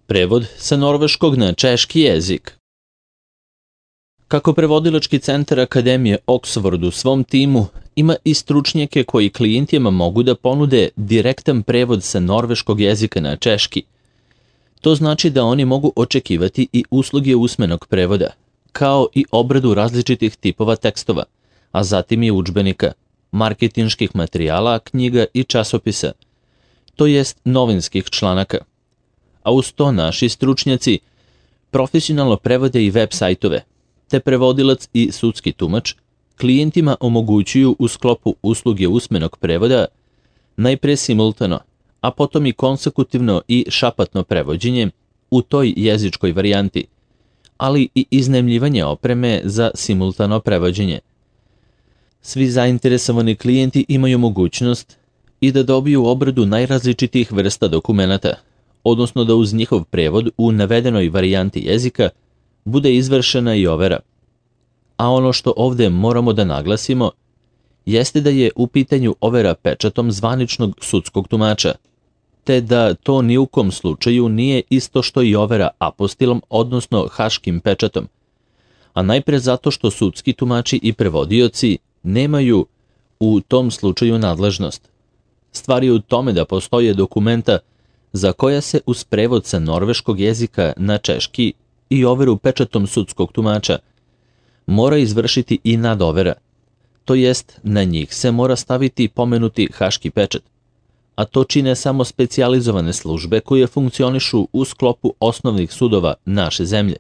Prevod sa norveškog na češki jezik. Kako prevodilački centar Akademije Oxford u svom timu ima i stručnjake koji klijentima mogu da ponude direktan prevod sa norveškog jezika na češki, to znači da oni mogu očekivati i usluge usmenog prevoda, kao i obradu različitih tipova tekstova, a zatim i udžbenika, marketinških materijala, knjiga i časopisa, to jest novinskih članaka. A uz to naši stručnjaci profesionalno prevode i web sajtove, te prevodilac i sudski tumač klijentima omogućuju u sklopu usluge usmenog prevoda najpre simultano, a potom i konsekutivno i šapatno prevođenje u toj jezičkoj varijanti, ali i iznajmljivanje opreme za simultano prevođenje. Svi zainteresovani klijenti imaju mogućnost i da dobiju obradu najrazličitijih vrsta dokumenata, odnosno da uz njihov prevod u navedenoj varijanti jezika bude izvršena i overa. A ono što ovde moramo da naglasimo jeste da je u pitanju overa pečatom zvaničnog sudskog tumača, te da to ni u kom slučaju nije isto što i overa apostilom, odnosno haškim pečatom, a najpre zato što sudski tumači i prevodioci nemaju u tom slučaju nadležnost. Stvar je u tome da postoje dokumenta za koja se uz prevod sa norveškog jezika na češki i overu pečatom sudskog tumača mora izvršiti i nadovera, to jest na njih se mora staviti pomenuti haški pečat, a to čine samo specijalizovane službe koje funkcionišu u sklopu osnovnih sudova naše zemlje.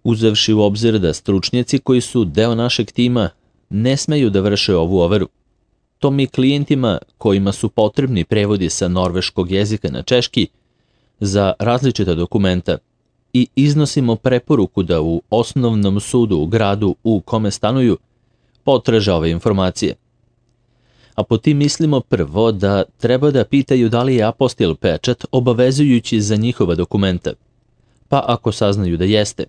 Uzevši u obzir da stručnjaci koji su deo našeg tima ne smeju da vrše ovu overu, to mi klijentima kojima su potrebni prevodi sa norveškog jezika na češki za različita dokumenta i iznosimo preporuku da u osnovnom sudu u gradu u kome stanuju potraže ove informacije. A po tim mislimo prvo da treba da pitaju da li je apostil pečat obavezujući za njihova dokumenta, pa ako saznaju da jeste,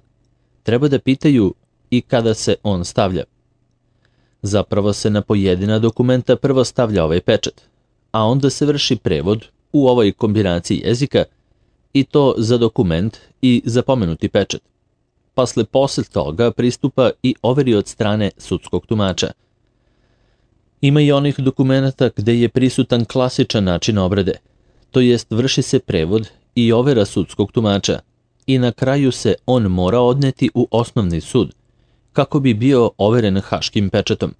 treba da pitaju i kada se on stavlja. Zapravo se na pojedina dokumenta prvo stavlja ovaj pečat, a onda se vrši prevod u ovoj kombinaciji jezika i to za dokument i za pomenuti pečat. Posle toga pristupa i overi od strane sudskog tumača. Ima i onih dokumenta gde je prisutan klasičan način obrade, to jest vrši se prevod i overa sudskog tumača i na kraju se on mora odneti u osnovni sud, kako bi bio overen haškim pečatom.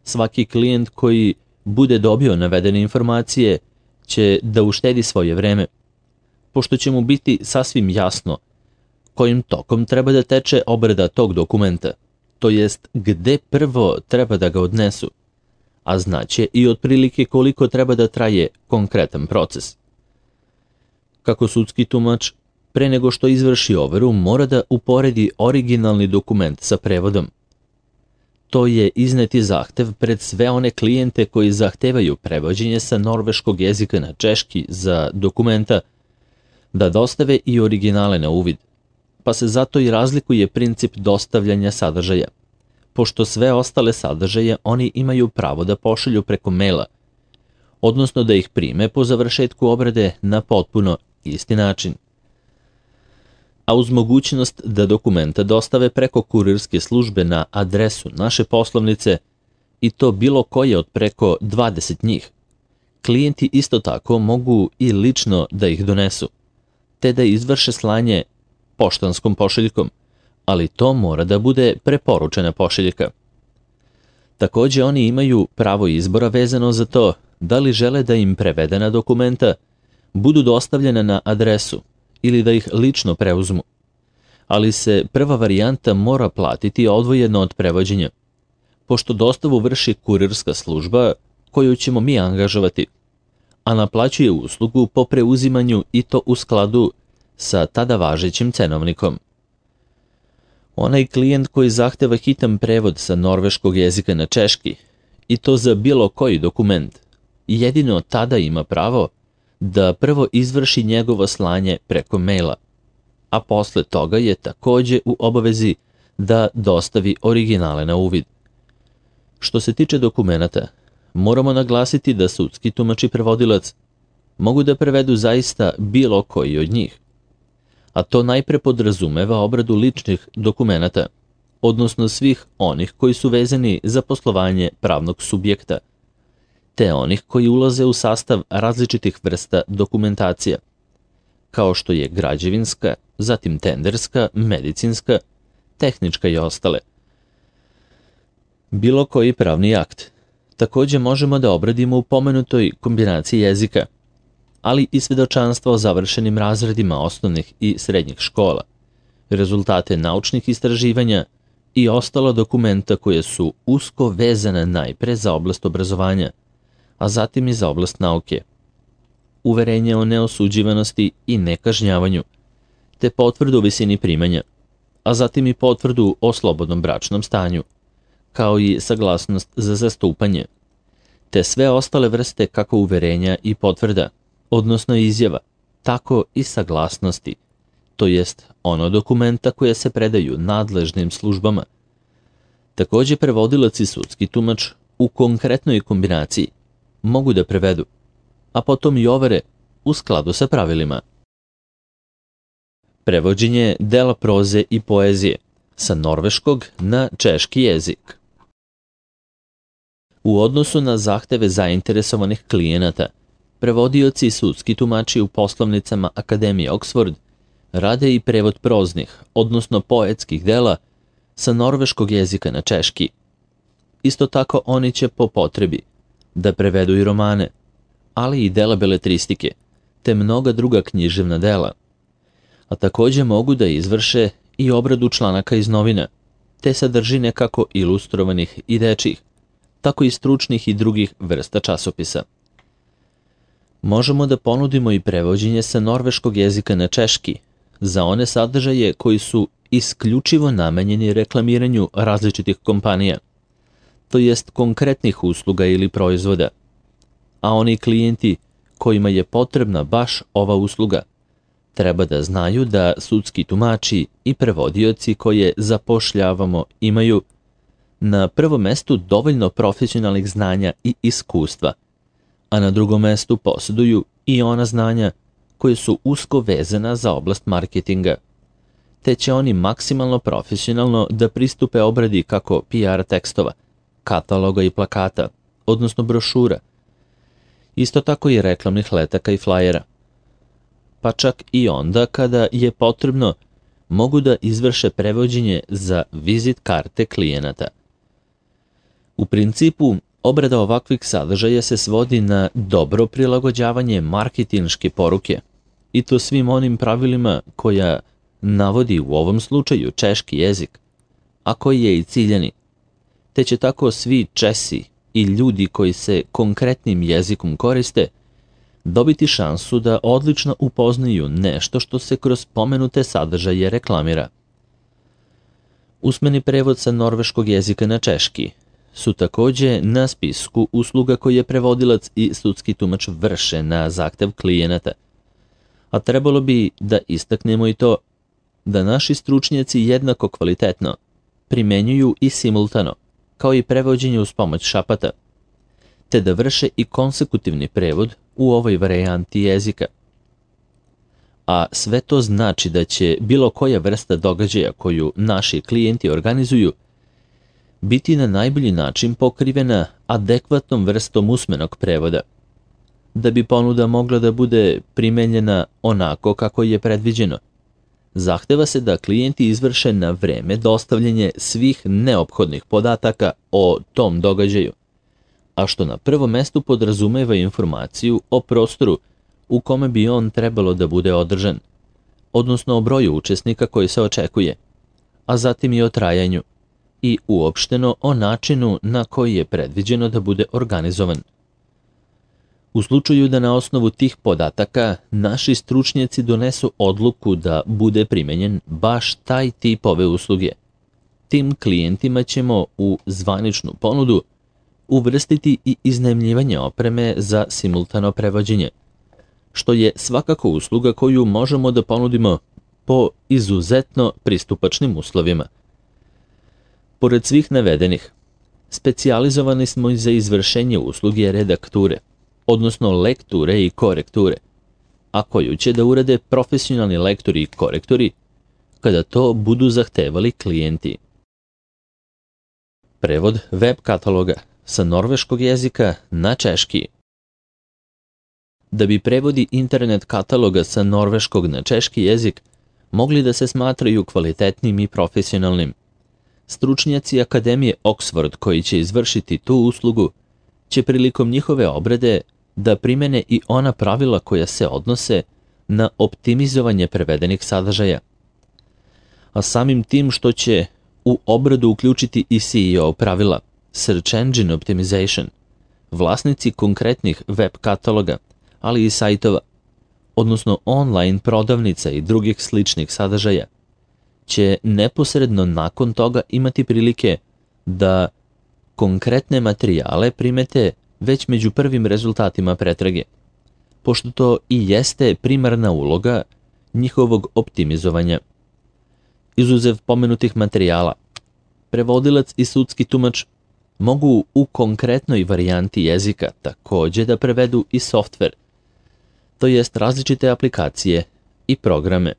Svaki klijent koji bude dobio navedene informacije će da uštedi svoje vreme, pošto će mu biti sasvim jasno kojim tokom treba da teče obrada tog dokumenta, to jest gde prvo treba da ga odnesu, a znaće i otprilike koliko treba da traje konkretan proces. Kako sudski tumač pre nego što izvrši overu mora da uporedi originalni dokument sa prevodom. To je izneti zahtev pred sve one klijente koji zahtevaju prevođenje sa norveškog jezika na češki za dokumenta, da dostave i originale na uvid, pa se zato i razlikuje princip dostavljanja sadržaja, pošto sve ostale sadržaje oni imaju pravo da pošalju preko maila, odnosno da ih prime po završetku obrade na potpuno isti način. A uz mogućnost da dokumenta dostave preko kurirske službe na adresu naše poslovnice, i to bilo koje od preko 20 njih, klijenti isto tako mogu i lično da ih donesu, te da izvrše slanje poštanskom pošiljkom, ali to mora da bude preporučena pošiljka. Takođe oni imaju pravo izbora vezano za to da li žele da im prevedena dokumenta budu dostavljena na adresu ili da ih lično preuzmu, ali se prva varijanta mora platiti odvojeno od prevođenja, pošto dostavu vrši kurirska služba koju ćemo mi angažovati, a naplaćuje uslugu po preuzimanju i to u skladu sa tada važećim cenovnikom. Onaj klijent koji zahteva hitan prevod sa norveškog jezika na češki, i to za bilo koji dokument, jedino tada ima pravo da prvo izvrši njegovo slanje preko maila, a posle toga je takođe u obavezi da dostavi originale na uvid. Što se tiče dokumenata, moramo naglasiti da sudski tumač i prevodilac mogu da prevedu zaista bilo koji od njih. A to najpre podrazumeva obradu ličnih dokumenata, odnosno svih onih koji su vezani za poslovanje pravnog subjekta, te onih koji ulaze u sastav različitih vrsta dokumentacija, kao što je građevinska, zatim tenderska, medicinska, tehnička i ostale. Bilo koji pravni akt takođe možemo da obradimo u pomenutoj kombinaciji jezika, ali i svedočanstva o završenim razredima osnovnih i srednjih škola, rezultate naučnih istraživanja i ostala dokumenta koje su usko vezane najpre za oblast obrazovanja, a zatim i za oblast nauke, uverenje o neosuđivanosti i nekažnjavanju, te potvrdu o visini primanja, a zatim i potvrdu o slobodnom bračnom stanju, kao i saglasnost za zastupanje, te sve ostale vrste kako uverenja i potvrda, odnosno izjava, tako i saglasnosti, to jest ono dokumenta koje se predaju nadležnim službama. Takođe, prevodilac i sudski tumač u konkretnoj kombinaciji mogu da prevedu, a potom i overe u skladu sa pravilima. Prevođenje dela proze i poezije sa norveškog na češki jezik. U odnosu na zahteve zainteresovanih klijenata, prevodioci i sudski tumači u poslovnicama Akademije Oxford rade i prevod proznih, odnosno poetskih dela sa norveškog jezika na češki. Isto tako oni će po potrebi da prevedu i romane, ali i dela beletristike, te mnoga druga književna dela, a takođe mogu da izvrše i obradu članaka iz novina, te sadržine kako ilustrovanih i dečjih, tako i stručnih i drugih vrsta časopisa. Možemo da ponudimo i prevođenje sa norveškog jezika na češki za one sadržaje koji su isključivo namenjeni reklamiranju različitih kompanija, to jest konkretnih usluga ili proizvoda, a oni klijenti kojima je potrebna baš ova usluga treba da znaju da sudski tumači i prevodioci koje zapošljavamo imaju na prvom mestu dovoljno profesionalnih znanja i iskustva, a na drugom mestu posjeduju i ona znanja koje su usko vezana za oblast marketinga, te će oni maksimalno profesionalno da pristupe obradi kako PR tekstova, kataloga i plakata, odnosno brošura, isto tako i reklamnih letaka i flajera. Pa čak i onda kada je potrebno, mogu da izvrše prevođenje za vizit karte klijenata. U principu, obrada ovakvih sadržaja se svodi na dobro prilagođavanje marketinške poruke, i to svim onim pravilima koja navodi u ovom slučaju češki jezik, a koji je i ciljani, te će tako svi Česi i ljudi koji se konkretnim jezikom koriste dobiti šansu da odlično upoznaju nešto što se kroz pomenute sadržaje reklamira. Usmeni prevod sa norveškog jezika na češki su takođe na spisku usluga koje prevodilac i sudski tumač vrše na zahtev klijenata, a trebalo bi da istaknemo i to da naši stručnjaci jednako kvalitetno primenjuju i simultano, kao i prevođenje uz pomoć šapata, te da vrše i konsekutivni prevod u ovoj varijanti jezika. A sve to znači da će bilo koja vrsta događaja koju naši klijenti organizuju biti na najbolji način pokrivena adekvatnom vrstom usmenog prevoda, da bi ponuda mogla da bude primenjena onako kako je predviđeno. Zahteva se da klijenti izvrše na vreme dostavljanje svih neophodnih podataka o tom događaju, a što na prvom mestu podrazumeva informaciju o prostoru u kome bi on trebalo da bude održan, odnosno o broju učesnika koji se očekuje, a zatim i o trajanju i uopšteno o načinu na koji je predviđeno da bude organizovan. U slučaju da na osnovu tih podataka naši stručnjaci donesu odluku da bude primenjen baš taj tip ove usluge, tim klijentima ćemo u zvaničnu ponudu uvrstiti i iznajmljivanje opreme za simultano prevođenje, što je svakako usluga koju možemo da ponudimo po izuzetno pristupačnim uslovima. Pored svih navedenih, specijalizovani smo i za izvršenje usluge redakture, odnosno lekture i korekture, a koju će da urade profesionalni lektori i korektori kada to budu zahtevali klijenti. Prevod web kataloga sa norveškog jezika na češki. Da bi prevodi internet kataloga sa norveškog na češki jezik mogli da se smatraju kvalitetnim i profesionalnim, stručnjaci Akademije Oxford koji će izvršiti tu uslugu će prilikom njihove obrade da primene i ona pravila koja se odnose na optimizovanje prevedenih sadržaja. A samim tim što će u obradu uključiti i CEO pravila, Search Engine Optimization, vlasnici konkretnih web kataloga, ali i sajtova, odnosno online prodavnica i drugih sličnih sadržaja, će neposredno nakon toga imati prilike da konkretne materijale primete već među prvim rezultatima pretrage, pošto to i jeste primarna uloga njihovog optimizovanja. Izuzev pomenutih materijala, prevodilac i sudski tumač mogu u konkretnoj varijanti jezika takođe da prevedu i softver, to jest različite aplikacije i programe.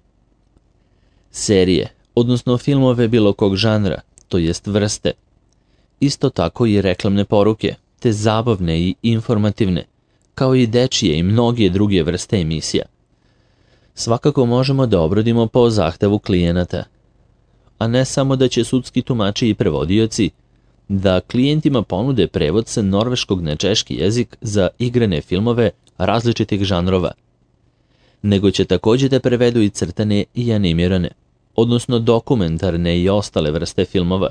Serije, odnosno filmove bilo kog žanra, to jest vrste, isto tako i reklamne poruke, te zabavne i informativne, kao i dečije i mnoge druge vrste emisija. Svakako možemo da obradimo po zahtevu klijenata, a ne samo da će sudski tumači i prevodioci da klijentima ponude prevod sa norveškog na češki jezik za igrane filmove različitih žanrova, nego će takođe da prevedu i crtane i animirane, odnosno dokumentarne i ostale vrste filmova,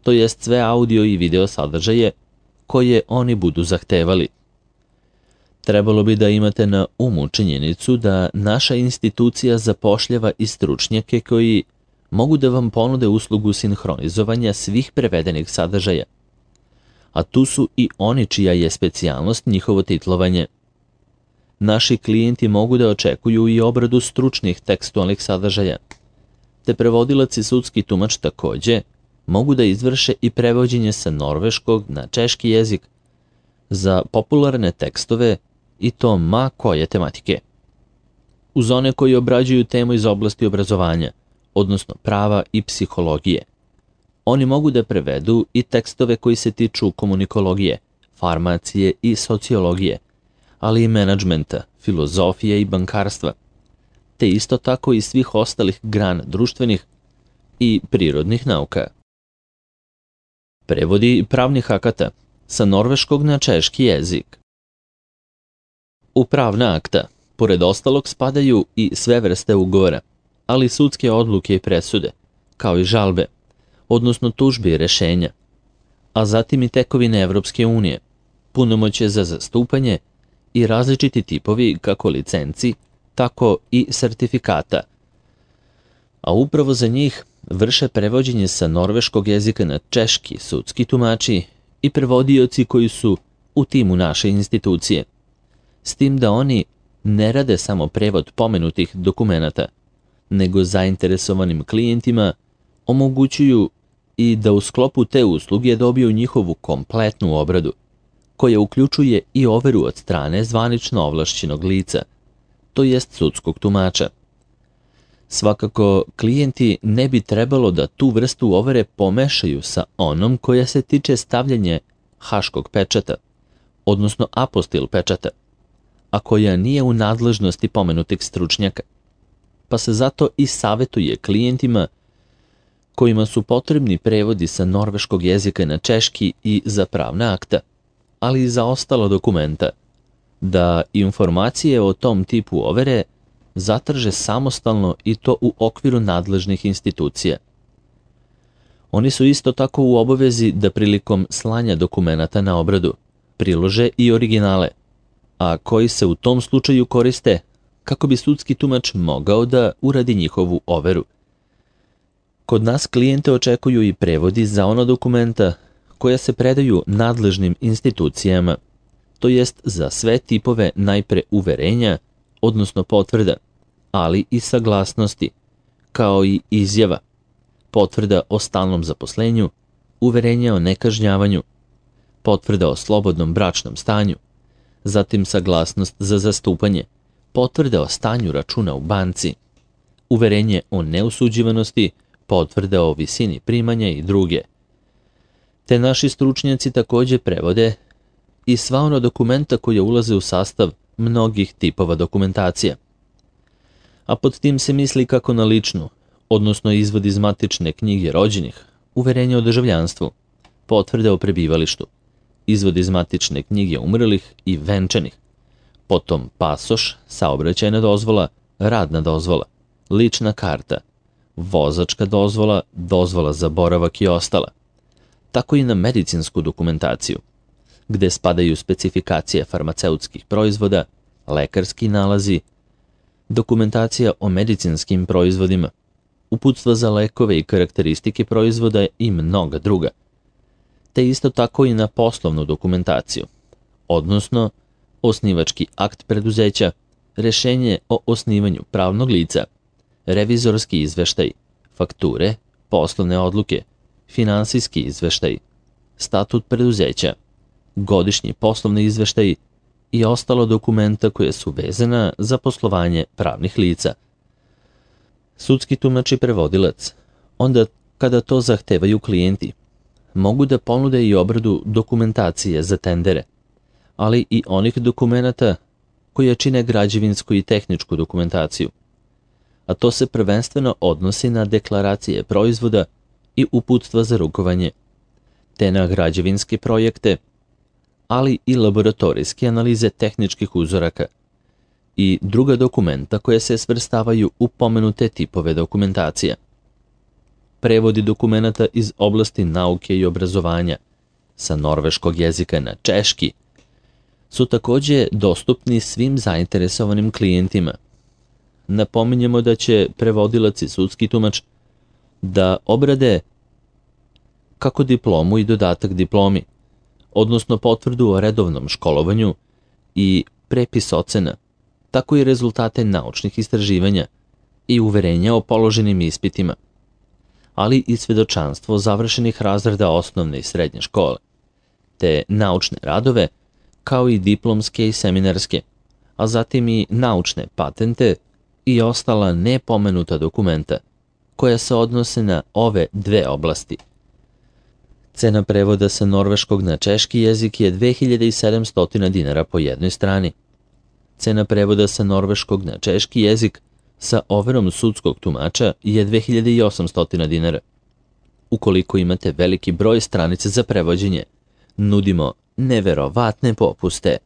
to jest sve audio i video sadržaje koje oni budu zahtevali. Trebalo bi da imate na umu činjenicu da naša institucija zapošljava i stručnjake koji mogu da vam ponude uslugu sinhronizovanja svih prevedenih sadržaja, a tu su i oni čija je specijalnost njihovo titlovanje. Naši klijenti mogu da očekuju i obradu stručnih tekstualnih sadržaja, te prevodilac i sudski tumač takođe mogu da izvrše i prevođenje sa norveškog na češki jezik za popularne tekstove i to ma koje tematike. Uz one koji obrađuju temu iz oblasti obrazovanja, odnosno prava i psihologije, oni mogu da prevedu i tekstove koji se tiču komunikologije, farmacije i sociologije, ali i menadžmenta, filozofije i bankarstva, te isto tako i svih ostalih grana društvenih i prirodnih nauka. Prevodi pravnih akata sa norveškog na češki jezik. U pravna akta, pored ostalog, spadaju i sve vrste ugovora, ali sudske odluke i presude, kao i žalbe, odnosno tužbe i rešenja, a zatim i tekovine Evropske unije, punomoćje za zastupanje i različiti tipovi kako licenci, tako i sertifikata. A upravo za njih vrše prevođenje sa norveškog jezika na češki sudski tumači i prevodioci koji su u timu naše institucije, s tim da oni ne rade samo prevod pomenutih dokumenata, nego zainteresovanim klijentima omogućuju i da u sklopu te usluge dobiju njihovu kompletnu obradu, koja uključuje i overu od strane zvanično ovlašćenog lica, to jest sudskog tumača. Svakako, klijenti ne bi trebalo da tu vrstu overe pomešaju sa onom koja se tiče stavljanja haškog pečata, odnosno apostil pečata, a koja nije u nadležnosti pomenutih stručnjaka, pa se zato i savetuje klijentima kojima su potrebni prevodi sa norveškog jezika na češki i za pravna akta, ali i za ostala dokumenta, da informacije o tom tipu overe zatraže samostalno i to u okviru nadležnih institucija. Oni su isto tako u obavezi da prilikom slanja dokumenata na obradu prilože i originale, a koji se u tom slučaju koriste kako bi sudski tumač mogao da uradi njihovu overu. Kod nas klijente očekuju i prevodi za ona dokumenta koja se predaju nadležnim institucijama, to jest za sve tipove najpre uverenja, odnosno potvrda, ali i saglasnosti, kao i izjava, potvrda o stalnom zatim saglasnost za zastupanje, potvrda o stanju računa u banci, uverenje o neosuđivanosti, potvrda o visini primanja i druge. Te naši stručnjaci takođe prevode i sva ona dokumenta koja ulaze u sastav mnogih tipova dokumentacija. A pod tim se misli kako na ličnu, odnosno izvod iz matične knjige rođenih, uverenje o državljanstvu, potvrde o prebivalištu, izvod iz matične knjige umrlih i venčanih, potom pasoš, saobraćajna dozvola, radna dozvola, lična karta, vozačka dozvola, dozvola za boravak i ostala, tako i na medicinsku dokumentaciju, gde spadaju specifikacije farmaceutskih proizvoda, lekarski nalazi, dokumentacija o medicinskim proizvodima, uputstva za lekove i karakteristike proizvoda i mnoga druga, te isto tako i na poslovnu dokumentaciju, odnosno osnivački akt preduzeća, rešenje o osnivanju pravnog lica, revizorski izveštaj, fakture, poslovne odluke, finansijski izveštaj, statut preduzeća, godišnji poslovni izveštaj i ostalo dokumenta koje su vezana za poslovanje pravnih lica. Sudski tumač i prevodilac, onda kada to zahtevaju klijenti, mogu da ponude i obradu dokumentacije za tendere, ali i onih dokumenata koje čine građevinsku i tehničku dokumentaciju, a to se prvenstveno odnosi na deklaracije proizvoda i uputstva za rukovanje, te na građevinske projekte, ali i laboratorijske analize tehničkih uzoraka i druga dokumenta koje se svrstavaju u pomenute tipove dokumentacija. Prevodi dokumenata iz oblasti nauke i obrazovanja sa norveškog jezika na češki su takođe dostupni svim zainteresovanim klijentima. Napominjemo da će prevodilac i sudski tumač da obrade kako diplomu i dodatak diplomi, odnosno potvrdu o redovnom školovanju i prepis ocena, tako i rezultate naučnih istraživanja i uverenja o položenim ispitima, ali i svedočanstvo završenih razreda osnovne i srednje škole, te naučne radove, kao i diplomske i seminarske, a zatim i naučne patente i ostala nepomenuta dokumenta koja se odnose na ove dve oblasti. Cena prevoda sa norveškog na češki jezik je 2700 dinara po jednoj strani. Cena prevoda sa norveškog na češki jezik sa overom sudskog tumača je 2800 dinara. Ukoliko imate veliki broj stranica za prevođenje, nudimo neverovatne popuste.